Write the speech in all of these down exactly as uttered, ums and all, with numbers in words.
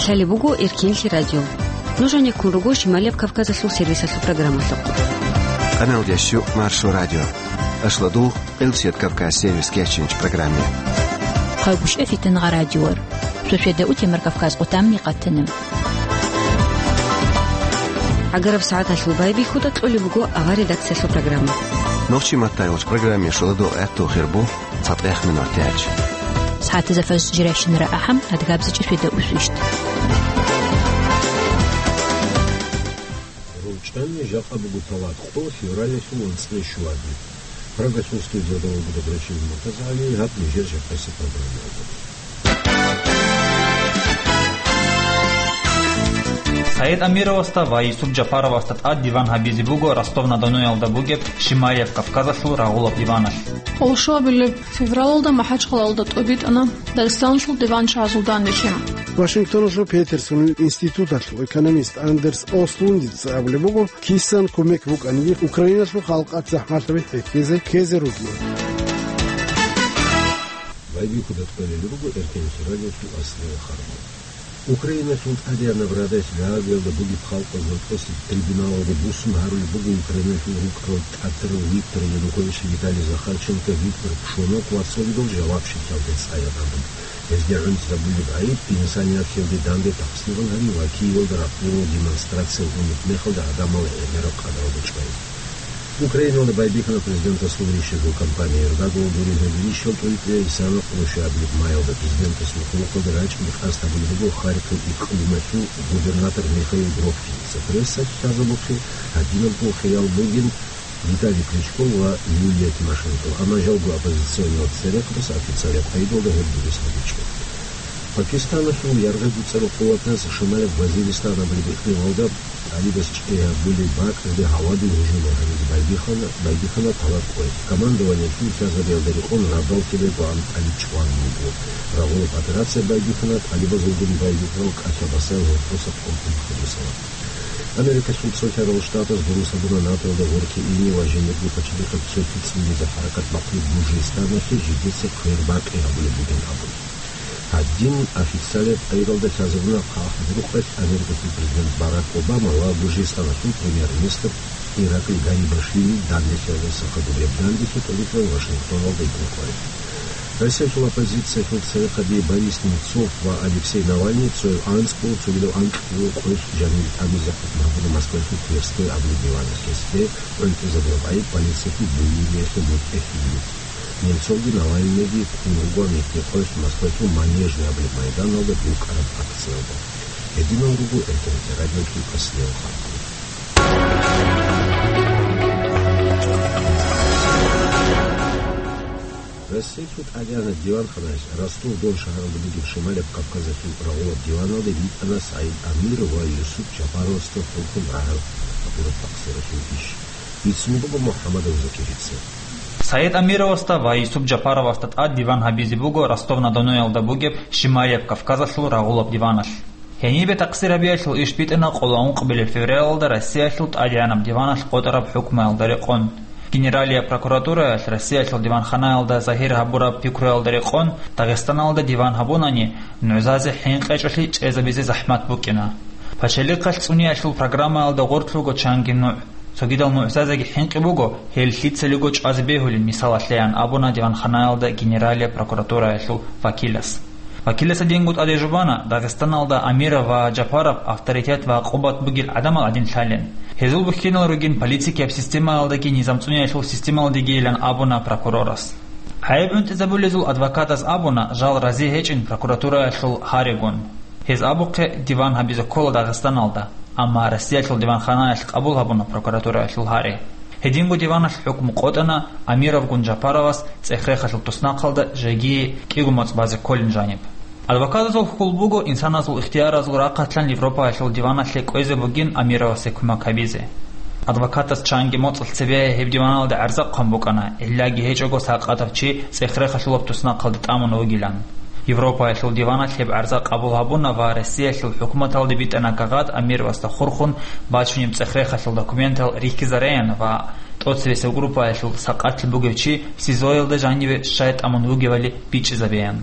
Гьале буго Эркенлъи радио. Нуж гьанеккун руго Шималияб Кавказалъул сервисалъул программалъухъ. Къаналдящу Маршо радио. Ашлодул Элсет Кавказ сервис кечинч программе. Хъагушев Фитангъа радиор. Шошеда утемар Кавказ къутамни къатана. Агараб сагӀаталъул байбихьуда кьолеб буго авар редакциялъул программа. Нохчи маттайгъуч программе шуладул гӀехтул хирбу. ЦатӀех минут тяч. СагӀатазда фаз жирайщинара ахӀам, адгабзичӀеб шведа усвищт. РучӀани жакъа буго талат къо февралалъул анцӀила щуабилеб. Прагасул студияда вуго Добрачил Муртазагьали, гьаб нижер жакъасеб программаялда. Саид Амировасда ва Юсуп Жапаровасда тӀад диван гьабизе буго Ростов-на-Доноялда бугеб Шималияб Кавказалъул рагъулаб диваналъ. Къоло щуабилеб февралалда МахӀачхъалаялда тӀобитӀана Дагъистаналъул диван чагӀазул данделъи. Вашингтоналъул Петерсонил институталъул экономист Андерс Ослундица абулеб буго, кисан кумек букӀанги, Украиналъул халкъалъ захӀмалъаби хӀехьезе ккезе ругин. Байбихьуда кьолеб буго Эркенлъи радиолъул аслияб харбал. Украиналъул ТӀадегӀанаб Радалъ Гаагиялда бугеб халкъалъул тӀоцебе трибуналалде буссун гьарулеб буго Украиналъул рукӀарал тӀатарал Виктор Янукович, Виталий Захарченко, Виктор Пшонок ва цогидал жавабщиклъиялде цӀаяб гӀадамал. Гьезде гӀунтӀизабулеб гӀайиб, инсанияталде данде тахсилан гьари ва Киевалда ракъурал демонстрация унеб мехалда гӀадамал гӀемераб къадралда чӀвай. Украиналда байбихьана президентасул рищарго кампания. Эрдоганал гуризна рищал тӀойтӀила исана къоло щуабилеб майалда президентасул хъулухъалда рачӀине къасд гьабулеб буго Харьков икълималъул губернатор Михаил Бровкиница. Прессалъ лъазабухъе гьадинабго хириял бугин Виталий Кличко ва Юлия Тимошенко, амма жалго оппозиционал церехъабаз официалаб къайдалда гьеб дурес гьабичӀо. Пакистаналъул яргъи-гуцӀарал къуватаз Шималияб Вазиристан абулеб икълималда ТӀалибаз чӀей гьабулеб бакӀалде гьавадин гьужумал гьабизе байбихьана, байбихьана талат къоялъ. Командованиялъул лъазабиялда рекъон радал ккезе гьабун ТӀалиб чӀван буго. Рагъулаб операция байбихьана ТӀалибазулгун байбихьарал кӀалъа-басаял гьоркьоса къокъин хадусала. Америкалъул цолъарал штатаз дурус гьабуна НАТОялда гъоркье ине ва жиндирго пачалихъаб цоги цӀунизе хӀаракат бахъулеб Гуржистаналъе жидеца квербакъи гьабулеб бугин абун. Гьадин официалаб къайдалда лъазабуна хъахӀбурухъалъ Америкалъул президент Барак Обама ва Гуржистаналъул премьер-министр Ираклий Гарибашвили данделъиялдаса хадуб. Гьеб данделъи тӀадегӀан Вашингтоналда йикӀун къваригӀун. Россиялъул оппозициялъул церехъаби Борис Немцов ва Алексей Навальный цояв анцӀго, цогидав анкьго къоялъ жанир тӀамизе хӀукму гьабуна Москваялъул Тверской абулеб диваналъ. Гьесде гӀунтӀизабураб гӀайиб полициялъул буюриялъе мутӀигӀлъи бугин. Немцовги Навальныйги ккун руго гьеб къоялъ Москваялъул Манежный абулеб майданалда букӀараб акциялда. Гьединал руго Эркенлъи радиолъул аслияб харбал. Россиялъул ТӀадегӀанаб диванханаялъ Ростов-Дон шагьаралда бугеб Шималияб Кавказалъул рагъулаб диваналде ритӀана СагӀид Амиров ва Юсуп Жапаровасда хурхун рагӀараб гьабураб тахсиралъул иш. Бицун буго МухӀаммадов Закирица. СагӀид Амировасда ва Юсуп Жапаровасда тӀад диван гьабизе буго Ростов-на-Доноялда бугеб Шималияб Кавказалъул рагъулаб диваналъ. Гьенибе тахсир гьабиялъул иш битӀана къоло ункъабилеб февралалда Россиялъул ТӀадегӀанаб диваналъ къотӀараб хӀукмуялда рекъон. Генералияб прокуратураялъ Россиялъул диванханаялда загьир гьабураб пикруялда рекъон, Дагъистаналда диван гьабунани, нугӀзазе хӀинкъичӀолъи чӀезабизе захӀмат букӀина. Пачалихъалъ цӀуниялъул программаялда гъорлъ руго чанги нугӀ. Цогидал нугӀзазеги хӀинкъи буго, гьел лъицалиго чӀвазе бегьулин, мисалалъе, ян абуна диванханаялда Генералияб прокуратураялъул вакилас. Вакилас гьединго тӀаде жубана, Дагъистаналда Амиров ва Жапаров авторитет ва къуват бугел гӀадамал гӀадин лъалин. Гьезул бухьинал ругин политикияб системаялдаги низам цӀуниялъул системаялдагийилан абуна прокурорас. ГӀайиб гӀунтӀизабулезул адвокатас абуна, жал рази гьечӀин прокуратураялъул гьаригун. Гьез абухъе диван гьабизе ккола Дагъистаналда, амма Россиялъул диванханаялъ къабул гьабуна прокуратураялъул гьари. Гьединго диваналъ хӀукму къотӀана Амировгун Жапаровас цӀех-рехалъул туснахъалда жеги кӀиго моцӀ базе кколин жаниб. Адвокатазул хьул буго инсаназул ихтияразул рахъалъан Европаялъул диваналъе кӀвезе бугин Амировасе кумек гьабизе. Адвокатас чанги моцӀалъ цебе гьеб диваналда гӀарза хъван букӀана, гӀиллаги гьечӀого сакъатав чи цӀех-рехалъулаб туснахъалде тӀамун вугилан. Европаялъул диваналъ гьеб гӀарза къабул гьабуна ва Россиялъул хӀукуматалде битӀана кагъат Амировасда хурхун бачунеб цӀех-рехалъул документал рихьизареян ва тӀоцебесеб группаялъул сакъатлъи бугев чи СИЗО-ялда жаниве щай тӀамун вугевали бичӀчӀизабеян.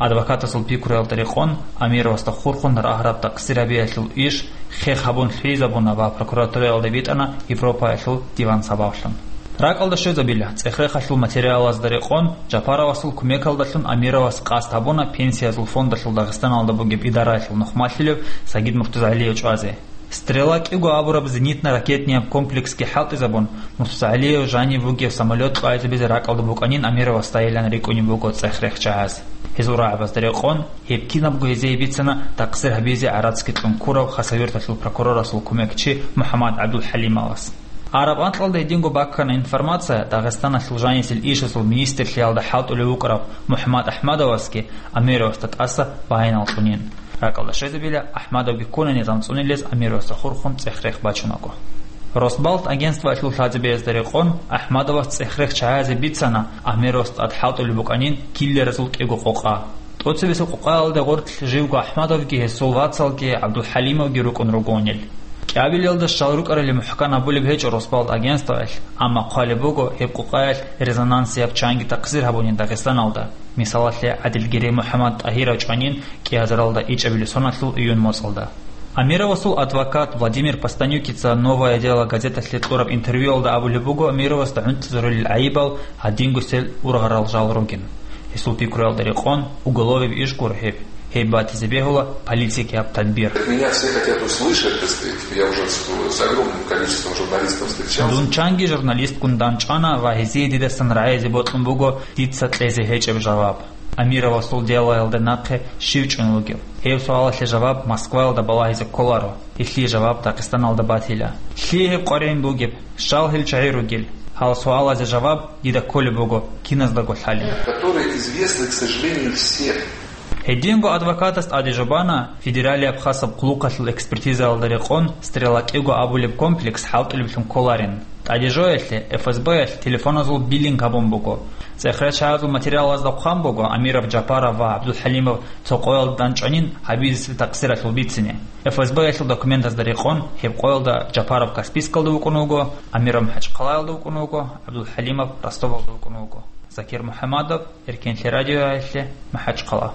Адвокатасул пикруялда рекъон, Амировасда хурхун рагьараб такъсир гьабиялъул иш хех гьабун лъугӀизабуна ва прокуратураялда битӀана Европаялъул диван сабаблъун. РакӀалда щвезабила, цӀех-рехалъул материалазда рекъон, Жапаровасул кумекалдалъун Амировас къасд гьабуна Пенсиязул фондалъул Дагъистаналда бугеб идараялъул нухмалъулев Сагид Муртузагьалиев чӀвазе. «Стрела» кӀиго абураб зенитно-ракетнияб комплексги хӀалтӀизабун, Муртузагьалиев жанив вугев самолет кьвайзабизе ракӀалда букӀанин Амировасдайилан рикӀкӀунеб буго цӀех-рех чагӀаз. Гьезул рагӀабазда рекъон, гьеб кинабго гьезие бицана такъсир гьабизе гӀарацги кьун ккурав Хасавюрталъул прокурорасул кумекчи МухӀаммад ГӀабдулхӀалимовас. Араб анкьалда гьединго баккана информация, Дагъистаналъул жанисел ишазул министрлъиялда хӀалтӀулев вукӀарав МухӀаммад АхӀмадовасги Амировасда тӀаса баянал кьунин. РакӀалда щвезабила, АхӀмадовги ккуна низам цӀунилез Амировасда хурхун цӀех-рех бачунаго. Росбалт агентствоялъул лъазабиязда рекъон, АхӀмадовас цӀех-рех чагӀазе бицана, Амировас тӀад хӀалтӀулеб букӀанин киллеразул кӀиго къокъа. ТӀоцебесеб къокъаялда гъорлъ живго АхӀмадовги гьесул вацалги ГӀабдулхӀалимовги рукӀун ругонил. КӀиабилелда щал рукӀарали мухӀкан абулеб гьечӀо Росбалт агентствоялъ, амма хъвалеб буго гьеб къокъаялъ резонансияб чанги такъсир гьабунин Дагъистаналда. Мисалалъе, ГӀадилгерей МухӀаммад ТӀагьиров чӀванин кӀиазаралда ичӀабилеб соналъул июнь моцӀалда. Амировасул адвокат Владимир Постанюкица «Новое дело» газеталъе кьураб интервьюялда абулеб буго Амировасда гӀунтӀизарулел гӀайибал гьадинго сел ургъарал жал ругин. Гьесул пикруялда рекъон, уголовияб иш гуро гьеб. Гьеб батизе бегьула политикияб тадбир. Меня все хотят услышать, так сказать. Я уже с, с огромным количеством журналистов встречался. Дун чанги журналистгун дандчӀвана ва гьезие дидасан рагӀизе бокьун буго дица кьезе гьечӀеб жаваб. Амировасул делоялда нахъе щив чӀун вугев? Гьеб суалалъе жаваб Москваялда балагьизе кколаро. Гьелъие жаваб Дагъистаналда батила. Лъие гьеб къваригӀин бугеб? Щал гьел чагӀи ругел? Гьал суалазе жаваб дида кколеб буго киназдаго лъалеб. Которые известны, к сожалению, всем. Гьединго адвокатас тӀаде жо бана, федералияб хасаб хъулухъалъул экспертизаялда рекъон, «Стрела» кӀиго абулеб комплекс хӀалтӀулеблъун кколарин. ТӀаде жоялъе, ФСБ-ялъ телефоназул биллинг гьабун буго. ЦӀех-рех чагӀазул материалазда хъван буго Амиров Жапаров ва ГӀабдулхӀалимов цо къоялда дандчӀванин гьабизесеб такъсиралъул бицине. ФСБ-ялъул документазда рекъон, гьеб къоялда Жапаров Каспийскалда вукӀун вуго, Амиров МахӀачхъалаялда вукӀун вуго, ГӀабдулхӀалимов Ростовалда вукӀун вуго. Закир МухӀамадов, Эркенлъи радиоялъе, МахӀачхъала.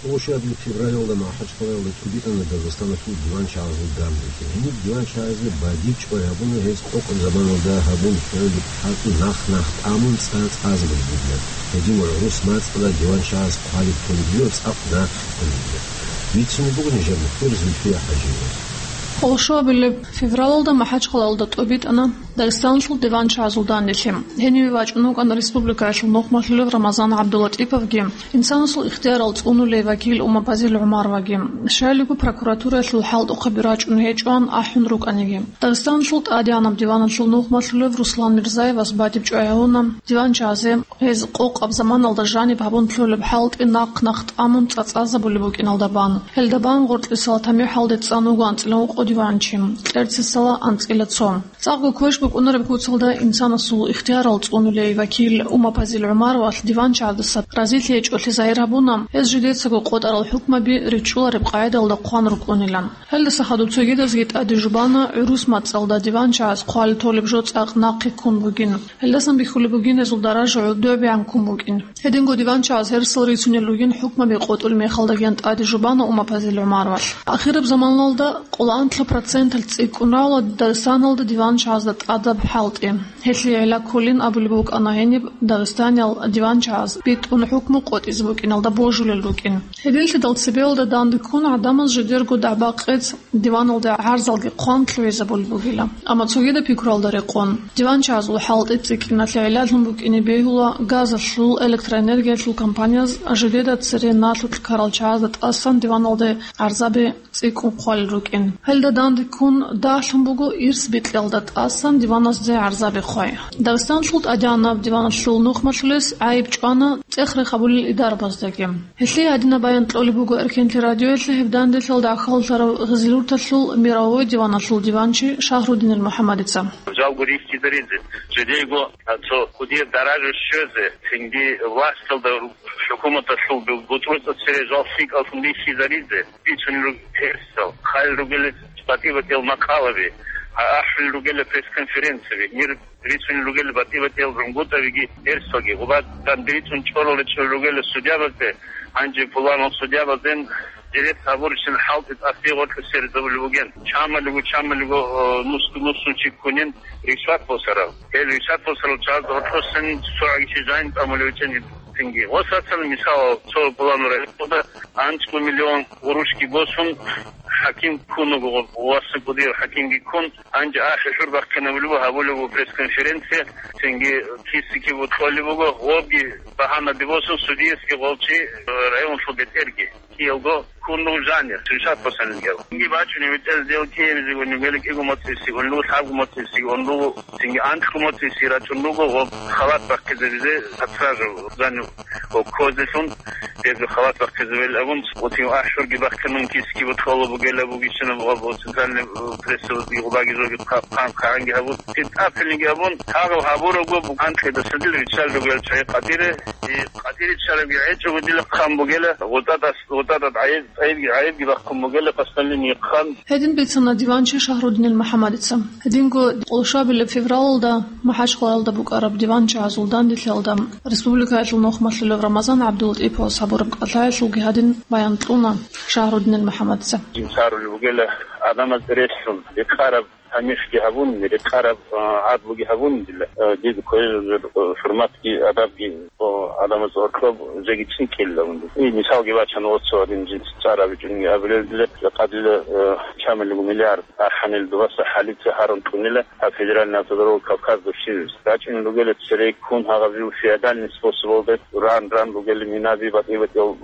Къоло щуабилеб февралалда МахӀачхъалаялда тӀубитӀана Дагъистаналъул диван чагӀазул данделъи. Гьениб диван чагӀазе бадиб чӀвай гьабуна гьез къокъаб заманалда гьабун лъугӀараб хӀалтӀи нах-нах тӀамун цӀа-цӀазабулеб бугилан. Гьедин ва гӀурус мацӀалда диван чагӀаз хъвалеб кколеб бугеб цӀакъ нахъе кколеб бугеб. Бицунеб буго нижер мухьбир Зульфия ХӀажиевас. Къоло щуабилеб февралалда МахӀачхъалаялда тӀубитӀана Дагъистаналъул диван чагӀазул данделъи. Гьениве вачӀун вукӀана республикаялъул нухмалъулев Рамазан ГӀабдулатӀиповги, инсанасул ихтиярал цӀунулей вакил Умапазил ГӀумароваги. Щайилго прокуратураялъул хӀалтӀухъаби рачӀун гьечӀоан ахӀун рукӀаниги. Дагъистаналъул тӀадегӀанаб диваналъул нухмалъулев Руслан Мирзаевас бадиб чӀвай гьавуна диван чагӀазе гьез къокъаб заманалда жаниб гьабун лъолеб хӀалтӀи нах-нах тӀамун цӀа-цӀазабулеб букӀиналда бан. Гьелда бан гъоркьисал тамихӀалде цӀан вуго анцӀила гьукъо диванчи, кьерцисала анцӀила цо. ЦӀакъго квеш букӀунареб куцалда инсанасул ихтиярал цӀунулей вакил Умапазил ГӀумаровалъ диван чагӀаздаса разилъи гьечӀолъи загьир гьабуна, гьез жидецаго къотӀарал хӀукмаби ричӀчӀулареб къагӀидалда хъван рукӀунилан. Гьелдаса хадуб цогидазги тӀаде жубана гӀурус мацӀалда диван чагӀаз хъвалеб толеб жо цӀакъ нахъе ккун бугин. Гьелдасан бихьулеб бугин гьезул даража гӀодобегӀан ккун букӀин. Гьединго диван чагӀаз гьерсал рицунел ругин хӀукмаби къотӀулеб мехалдагиян тӀаде жубана Умапазил ГӀумаровалъ. Ахираб заманалда къоло анлъаб проценталъ цӀикӀкӀун равла Дагъистаналда диван чагӀазда тӀадаб хӀалтӀи. Гьелъие гӀилла кколин абулеб букӀана гьениб Дагъистаниял диван чагӀаз битӀун хӀукму къотӀизе букӀиналда божулел рукӀин. Гьединлъидал цебеялда данде ккун гӀадамаз жидерго дагӀба-къец диваналда гӀарзалги хъван лъугӀизабулеб бугила. Амма цогидаб пикруялда рекъон, диван чагӀазул хӀалтӀи цӀикӀкӀиналъе гӀилла лъун букӀине бегьула газалъул, электроэнергиялъул компанияз жидеда цере налъулъ ккарал чагӀазда тӀасан диваналда гӀарзаби цӀикӀкӀун хъвалел рукӀин. Гьелда данде ккун дагьлъун буго ирс бикьиялда тӀасан диваназде гӀарзаби хъвай. Дагъистаналъул тӀадегӀанаб диваналъул нухмалъулес гӀайиб чӀвана цӀех-рех гьабулел идарабаздаги. Гьелъие гьадинаб баян кьолеб буго Эркенлъи радиоялъе гьеб данделъалда гӀахьаллъарав Гъизлиюрталъул мировой диваналъул диванчи Шагьруддинил МухӀаммадица. Жалго рихьизаризе, жидейго цо кӀудияб даража щвезе, цинги власталда, хӀукуматалъул бутӀрузда цере жал лъикӀаллъун рихьизаризе бицунел руго гьерсал, хъалил ругел батӀи-батӀиял макъалаби, а, ахӀулел ругел пресс-конференцияби. Мир рицунел ругел батӀи-батӀиял гӀунгутӀабиги, эрсалги, гъубадан рицун чӀорал речӀчӀулел ругел судьябазде, гьанже пуланал судьябазден директ гьабурищин хӀалтӀи тӀасие гъоркье сверизабулеб бугин. Чамалиго, чамалиго, э, нусго-нусун чи ккунин ришват босарал. Гьел ришват босарал чагӀаз гъоркьосин цогӀаги чи жайн тӀамулев вичӀин цинги. Ва сацал мисал, цо пуланал районда анцӀго миллион гъурущги босун, хӀаким ккун вуго, васакӀудияв хӀакимги ккун, гьанже ахӀи-хӀур бахъинабулеб гьабулеб пресс-конференция, цинги киси-киб кьолеб буго, гъобги багьанаде босун, судиясги гъолчи, э, районалъул бетӀерги. Киялго ккун руго жанир, шишат босанилгал. Цинги бачӀунеб бетӀер сделки гьабизегун, гьеле кӀиго моцӀиси, унлу лъабго моцӀиси, унлу, цинги анлъго моцӀиси рачӀун руго, гъоб халат бахъизабизе, подсажу, жанир, гъоб козелъун, гьезул халат бахъизабил абун, цинги ахӀи-хӀурги бахъинун киси-киб кьола бугела бугищинаб гъоб центральный, э, прессалъги гъубаги жоги хъа-, хъан-, хъанги гьабун, тӀинтӀабилинги абун, гьагъал гьабурабго, анкьидасадил риччал ругел чагӀи къадире, и къадириччалабги гӀечӀого дила хъан бугела, гъутӀадас, гъутӀадад гӀайиб, гӀайибги, гӀайибги бахъун бугела, постановление хъан. Гьедин бицана диванчи Шагьруддинил МухӀаммадица. Гьединго къолшабилеб февралалда МахӀачхъалаялда букӀараб диванчагӀазул данделъиялда республикаялъул нухмалъулев Рамазан ГӀабдуллатӀиповас гьабураб кӀалъаялъулги гьадин баян кьуна Шагьруддинил МухӀаммадица. Жинцарулеб бугела гӀадамаз релълъун, рекъараб тамихӀги гьабун, рекъараб, а, гӀадлуги гьабун дила, а, дида кколел жо-, а, хӀурматги, адабги, а, гӀадамаз гьоркьоб жеги цӀикӀкӀинилан дила. И мисалги бачана, оцо гьадин жинца цӀар абичӀунги абулел дила, къадила, а, чамилго миллиард ахӀанил дубаса хӀалица гьарун тӀунила гьаб федеральный автодорога Кавказ дурсилис. РачӀунел ругела цере ккун гьагъаб жив феодальный способалда ран-ран ругела минаби батӀи-батӀиял,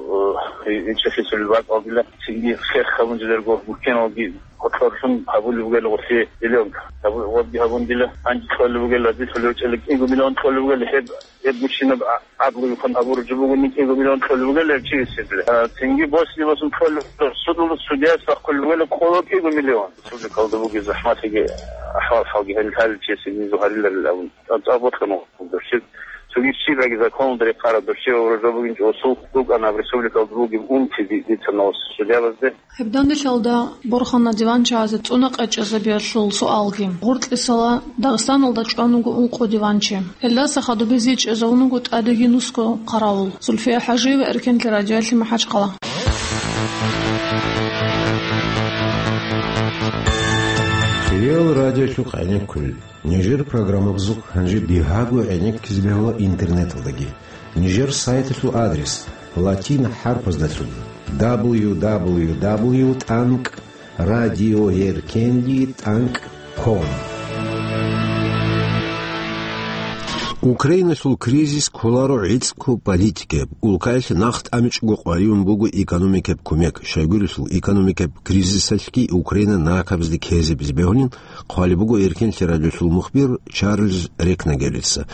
а, и-, ичӀахъисулел бакӀалдила, цинги хех гьабун жидерго гуркеналги КъотӀлъун гьабулеб бугел гъуси зеленка. Гьабу-, гъобги гьабун дила, гьанже кьолеб бугел, разилъулев чӀела кӀиго миллион кьолеб бугел, гьеб, гьеб гучинаб а-, гӀадлуйхъан гьабураб жо бугони кӀиго миллион кьолеб бугел гьеб чи гьесиблъи. А, цинги босни босун кьолеб, суд-, судулас судияс бахъулеб бугел къоло кӀиго миллион. Республикалда бугеб захӀмалъиги, ахӀвал-хӀалги гьанилъ гьаличиясе гьезул гьариларил абун. ЦӀа-, цӀа бокьун вуго дурсил. Цоги щибаги законалда рекъараб дурсил ва жо бугин чӀосул рукӀана республикалда бугеб унти ди-, дица нос судиябазде. Гьеб данделъалда борхана диванчагӀазе цӀуна къечӀезабиялъул суалги. Гъоркьисала Дагъистаналда чӀван вуго ункъо диванчи. Гьелдаса хадуб гьезие чӀезавун вуго тӀадеги нусго хъаравул. Зульфия ХӀажиева, Эркенлъи радиоялъе, МахӀачхъала. Хириял радиолъухъ гӀенеккулел. Нижер программабазухъ гьанже бигьаго гӀенеккизе бегьула интернеталдаги. Нижер сайталъул адрес латин хӀарпаздалъун: дабл ю дабл ю дабл ю тӀанкӀ радиоеркенли тӀанкӀ ком. Украиналъул кризис кколаро гӀицӀго политикаяб, улкаялъе нахъ тӀамичӀого къваригӀун буго экономикаяб кумек. Щайгурелъул экономикаяб кризисалъги Украина накабазде ккезабизе бегьулин хъвалеб буго Эркенлъи радиолъул мухбир Чарльз Рекнагелица.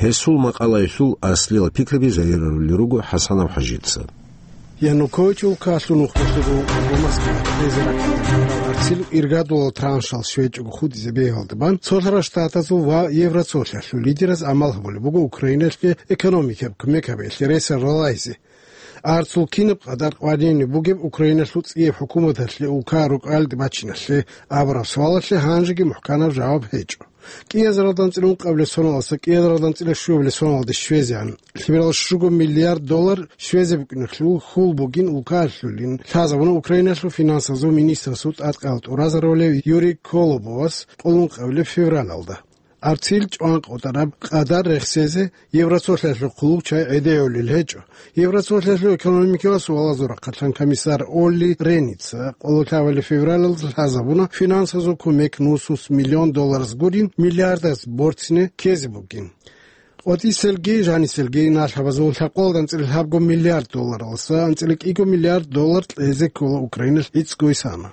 Гьесул макъалаялъул аслиял пикраби загьирарулел руго ХӀасанов ХӀажица. Янукович улкалъул нухмалъул гӀумру Москваялда кьезе раккарал арцил иргадулал траншал щвечӀого хутӀизе бегьулда бан, Цолъарал Штатазул ва Евроцолъалъул лидераз гӀамал гьабулеб буго Украиналъе экономикаяб кумек гьабиялъе ресал ралайзе. Арцул кинаб къадар къваригӀунеб бугеб Украиналъул цӀияб хӀукуматалъе улка рукӀалде бачиналъе абураб суалалъе гьанжеги мухӀканаб жаваб гьечӀо. КӀиазаралда анцӀила ункъабилеб соналдаса кӀиазаралда анцӀила щуабилеб соналде щвезегӀан лъимерал щуго миллиард доллар щвезе букӀиналъул хьул бугин улкалъулин лъазабуна Украиналъул финансазул министрасул тӀадкъал тӀуразарулев Юрий Колобовас къоло ункъабилеб февралалда. Арцил чӀван къотӀараб къадар рехсезе Евроцолъалъул хъулухъ чай гӀедегӀулел гьечӀо. Евроцолъалъул экономикалъул суалазул рахъалъан комиссар Олли Реница къоло лъабабилеб февралалда лъазабуна финансазул кумек нусус миллион доллараз гурин миллиардаз борцине ккезе бугин. КъватӀиселги жаниселги налъабазул лъабкъоялда анцӀила лъабго миллиард долларалдаса анцӀила кӀиго миллиард доллар кьезе ккола Украиналъ гӀицӀго исана.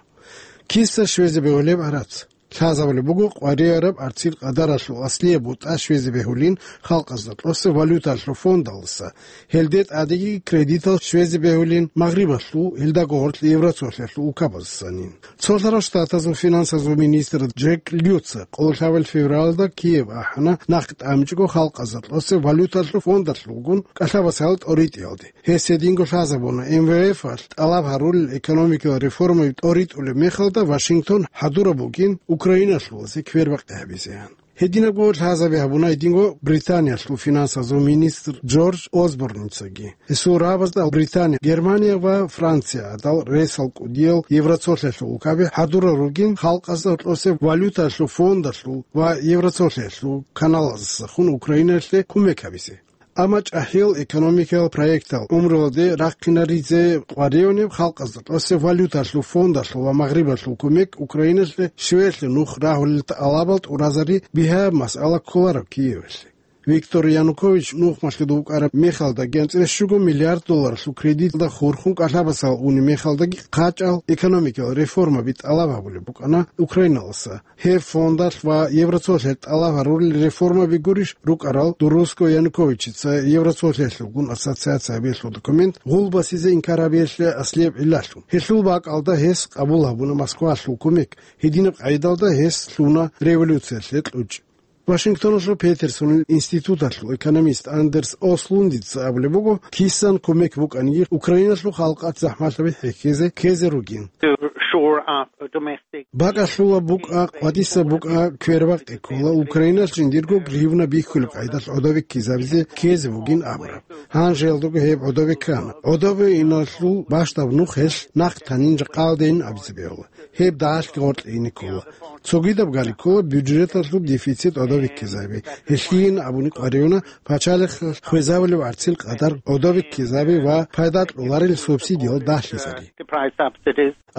Киса щвезе бегьулеб гӀарац? Лъазабулеб буго къваригӀараб арцил къадаралъул аслияб бутӀа щвезе бегьулин халкъазда кьоса валюталъул фондалдаса, гьелде тӀадеги кредитал щвезе бегьулин Магърибалъул, гьелдаго гъорлъ Евроцолъалъул улкабаздасанин. Цолъарал Штатазул финансазул министр Джек Лютца къоло лъабабилеб февралалда Киев ахӀана нахъ тӀамичӀого халкъазда кьоса валюталъул фондалъулгун кӀалъабасал тӀоритӀиялде. Гьес гьединго лъазабуна, МВФ-алъ тӀалаб гьарулел экономикалъул реформаби тӀоритӀулеб мехалда Вашингтон хӀадураб бугин Украиналъулазе квербакъи гьабизеян. Гьединабго лъазаби гьабуна гьединго Британиялъул финансазул министр Джордж Осборницаги. Гьесул рагӀабазда Британия, Германия ва Франция гӀадал ресал кӀудиял Евросоюзалъул улкаби хӀадурал ругин халкъазда гьоркьосе валюталъул фондалъул ва Евросоюзалъул каналаздасахун Украиналъе кумек гьабизе. Амма чӀахӀиял экономикиял проектал гӀумруялде рахъинаризе къваригӀунеб халкъазда гьоркьосе валюталъул фондалъул ва Магърибалъул кумек Украиналъе щивелъе нух рагьулел тӀалабал тӀуразари бигьаяб масъала кколараб Киевалъе. Виктор Янукович нухмалъуда вукӀараб мехалдаги анцӀила щуго миллиард долларалъул кредиталда хурхун кӀалъабасал унеб мехалдаги хъачӀал экономикиял реформаби тӀалаб гьабулеб букӀана Украиналаса. Гьеб фондалъ ва Евросоюзалъ тӀалаб гьарурел реформаби гурищ рукӀарал Дуруско Януковичица Евросоюзалъулгун ассоциация гьабиялъул документ гъулбасизе инкар гьабиялъе аслияб гӀиллалъун. Гьелъул бакӀалда гьес къабул гьабуна Москвалъул кумек, гьединаб къайдалда гьес лъуна революциялъе кьучӀ. Вашингтоналъул Петерсонил институталъул экономист Андерс Ослундица абулеб буго, кисан кумек букӀаниги, Украиналъул халкъалъ захӀмалъаби хӀехьезе ккезе ругин. To shore up a domestic БакӀалъула букӀа, къватӀиса букӀа, квербакъи ккола, Украиналъ жиндирго гривна бихьулеб къайдалъ гӀодобе ккезабизе ккезе бугин абураб. Гьанжеялдаго гьеб гӀодобе ккана. ГӀодобе иналъул бащдаб нух гьелъ нахъ танин жакъалдейин абизе бегьула. Гьеб дагьалъги гъоркье ине ккола. Цогидаб гали ккола бюджеталъул дефицит гӀодобе ккезаби. Гьелъийин абуни къваригӀуна пачалихъ хвезабулеб гӀарцил къадар гӀодобе ккезаби ва пайда кьоларел субсидиял дагьлъизари.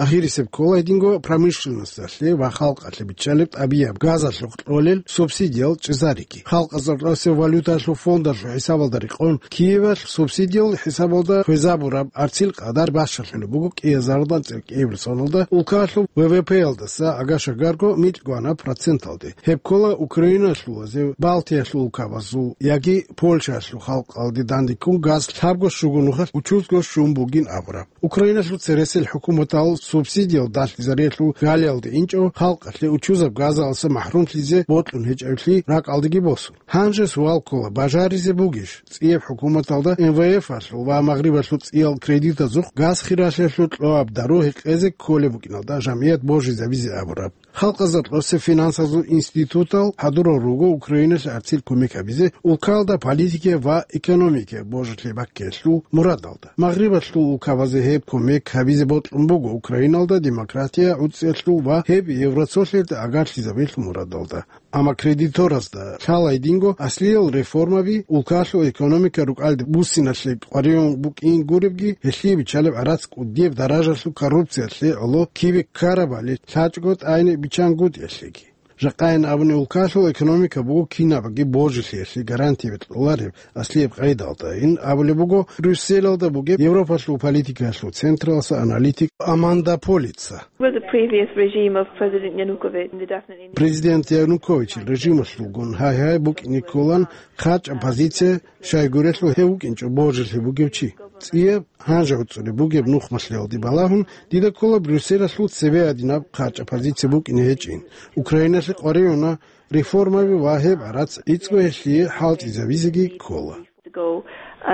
Ахирисеб ккола гьединго промышленносталъе ва халкъалъе биччалеб тӀабияб газалъухъ кьолел субсидиял чӀезариги. Халкъазда гьоркьосе валюталъул фондалъул хӀисабалда рекъон Киевалъ субсидиял хӀисабалда хвезабураб гӀарцил къадар бащалъулеб буго кӀиазардан цӀикӀкӀияб соналда улкалъул В В П-ялдаса агашагарго микьгӀанаб проценталде. Гьеб ккола Украиналъулазе, Балтиялъул улкабазул яги Польшаялъул халкъалде дандеккун газ лъабго щуго нухалъ учузго щун бугин абураб. Украиналъул цересел хӀукуматал субсидиял дагьлъизариялъул галиялде инчӀо халкъалъе учузаб газалъа махӀрумлъизе бокьун гьечӀеблъи ракӀалдеги босун. Гьанже суал ккола, бажаризе бугищ цӀияб хӀукуматалда М В Ф-алъул ва Магърибалъул цӀиял кредитазухъ газ хиралъиялъул кьоаб дару гьекъезе кколеб букӀиналда жамгӀият божизабизе абураб. Халкъазда гьоркьосе финансазул институтал хӀадурал руго Украиналъе гӀарцил кумек гьабизе улкалда политикия ва экономикия божилъи баккиялъул мурадалда. Магърибалъул улкабазе гьеб кумек гьабизе бокьун буго Украиналда демократия гӀуцӀиялъул ва гьеб Евросоюзалде агарлъизабиялъул мурадалда. Амма кредиторазда лъала гьединго аслиял реформаби, улкалъул экономика рукӀалде буссиналъе къваригӀун букӀин гуребги, гьелъие биччалеб гӀарац кӀудияб даражалъул коррупциялъе гӀоло кибе ккарабали лъачӀого тӀайне биччангутӀиялъеги. Жакъайин абуни, улкалъул экономика буго кинабги божилъиялъе гарантияби кьолареб аслияб къайдалда, ин абулеб буго Брюсселалда бугеб Европалъул политикаялъул централъа аналитик Аманда Полица. With the previous regime of President Yanukovych, they definitely need Президент Януковичил режималъулгун гьай-гьай букӀине кколан хъачӀаб позиция, щайгурелъул гьев вукӀинчӀо божилъи бугев чи. ЦӀияб, гьанже гӀуцӀулеб бугеб нухмалъиялде балагьун, дида ккола Брюсселалъул цебе гьадинаб хъачӀаб позиция букӀине гьечӀин. Украиналъе къваригӀуна реформаби ва гьеб гӀарац гӀицӀго гьелъие хӀалтӀизабизеги ккола. To go,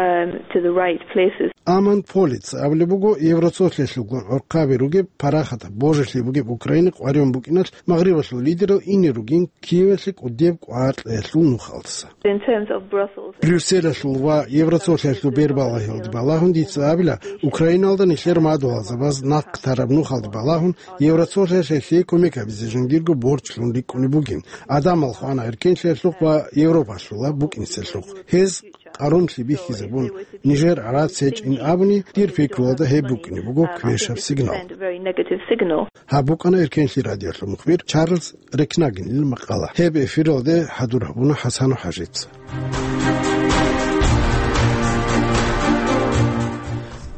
um, to the right places. Аманда Полица абулеб буго, Евросоюзалъулгун гӀурхъаби ругеб парахатаб божилъи бугеб Украине къваригӀун букӀиналъ Магърибалъул лидерал ине ругин Киевалъе кӀудеб кӀвар кьеялъул нухалдаса. In terms of Brussels. Брюсселалъул ва Евросоюзалъул бербалагьиялде балагьун дица абила, Украиналда нилъер мадугьалзабаз нахъ тараб нухалде балагьун Евросоюзалъе кумек гьабизе жиндирго борчлъун рикӀкӀунеб бугин. Гьадамал хвана эркенлъиялъухъ ва Европалъула букӀинцелъухъ. Гьез къарумлъи бихьизабун, нижер гӀарац гьечӀин абуни, дир пикруялда гьеб букӀине буго квешаб сигнал. Гьаб букӀана Эркенлъи радиолъул мухбир Чарльз Рекнагинил макъала. Гьеб эфиралде хӀадур гьабуна ХӀасану ХӀажица.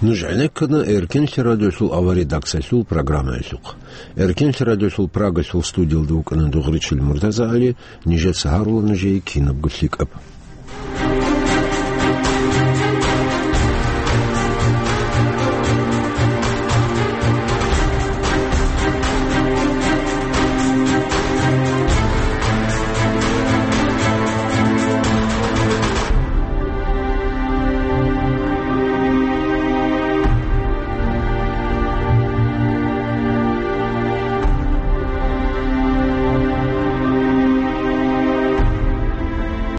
Нуж гӀенеккана Эркенлъи радиолъул авария даксалъул программаялъухъ. Эркенлъи радиолъул Прагалъул студиялда вукӀана Дугъричил Муртаза Али, нижеца гьарула нужее кинабго лъикӀаб.